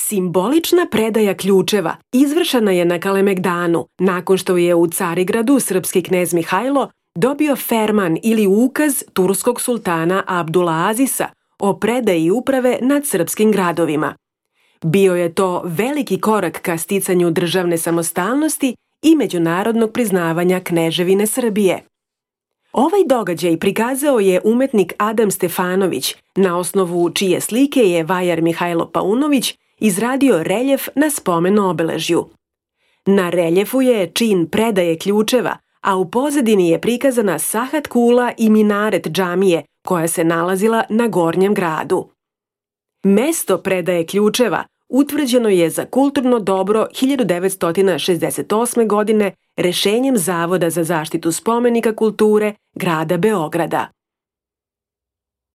Simbolična predaja ključeva izvršena je na Kalemegdanu nakon što je u Carigradu srpski knez Mihajlo dobio ferman ili ukaz turskog sultana Abdula Azisa o predaji uprave nad srpskim gradovima. Bio je to veliki korak ka sticanju državne samostalnosti i međunarodnog priznavanja Kneževine Srbije. Ovaj događaj prikazao je umetnik Adam Stefanović, na osnovu čije slike je vajar Mihajlo Paunović izradio reljef na spomen obeležju. Na reljefu je čin predaje ključeva, a u pozadini je prikazana sahat kula i minaret džamije koja se nalazila na Gornjem gradu. Mesto predaje ključeva utvrđeno je za kulturno dobro 1968. godine rešenjem Zavoda za zaštitu spomenika kulture grada Beograda.